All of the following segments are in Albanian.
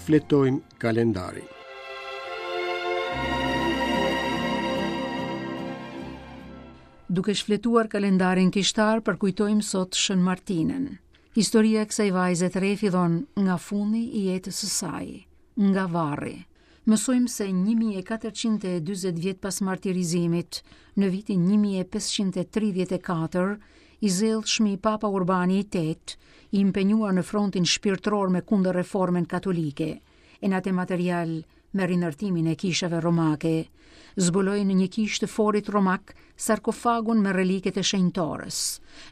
Shfletojmë kalendarin. Duke shfletuar kalendarin kishtar, përkujtojmë sot Shën Martinën. Historia e kësaj vajze të re fillon nga fundi i jetës së saj, nga varri. Mësojmë se 1440 vjet pas martirizimit, në vitin 1534, i zellshmi Papa Urbani i VIII, i impenjuar në frontin shpirtëror me kundërreformën katolike, e në atë material me rindërtimin e kishave romake, zbuloi në një kishë të forit romak sarkofagun me reliket e shenjtores,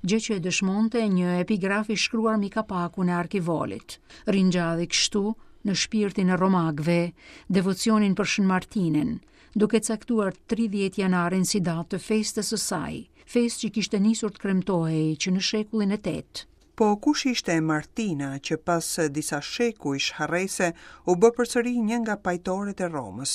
gjë që e dëshmonte një epigraf i shkruar mbi kapakun e arkivolit. Ringjalli kështu në shpirtin e romakëve devocionin për Shën Martinën, duke caktuar 30 janarin si datë të festës së saj, festë që kishte nisur të kremtohej që në shekullin e 8. Po kush ishte Martina që pas disa shekujsh harrese u bë përsëri një nga pajtoret e Romës?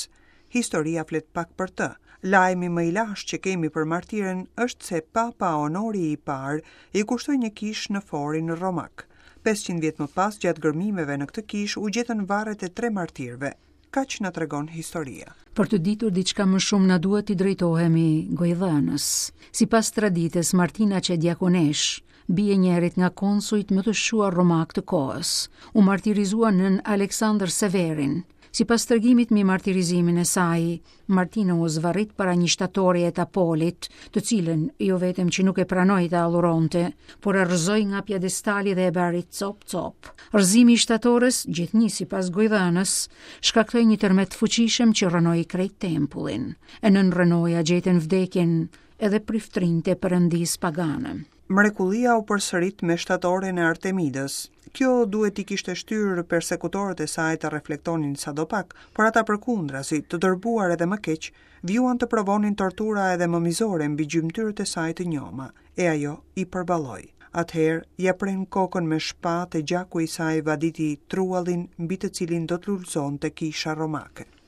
Historia flet pak për të. Lajmi më i lashtë që kemi për martiren është se Papa Onori i Parë i kushtoi një kishë në forin romak. 500 vjet më pas, gjatë gërmimeve në këtë kishë u gjetën varret e tre martirëve. Kaq na tregon historia. Për të ditur diçka më shumë na duhet t'i drejtohemi gojëdhënës. Sipas traditës, Martina qe diakoneshë, bijë e njërit nga konsujt më të shquar romakë të kohës, u martirizua nën Aleksandër Severin. Sipas tregimit mbi martirizimin e saj, Martina u zvarrit para një shtatoreje të Apolit, të cilën jo vetëm që nuk e pranoi ta adhuronte, por e rrëzoi nga piedestali dhe e bëri copë copë. Rrëzimi i shtatores, gjithnjë sipas gojëdhënës, shkaktoi një tërmet të fuqishëm që rrënoi krejt tempullin. E nën rrënoja gjetën vdekjen edhe priftërinjtë e perëndisë pagane. Mrekullia u përsërit me shtatoren e Artemidës. Kjo duhet t'i kishte shtyrë persekutorët e saj të reflektonin sadopak, por ata përkundrazi, të tërbuar edhe më keq, vijuan të provonin tortura edhe më mizore mbi gjymtyrët e saj të njoma, e ajo i përballoi. Atëherë, ia prenë kokën me shpatë e gjaku i saj vaditi truallin mbi të cilin do të lulëzonte kisha romake.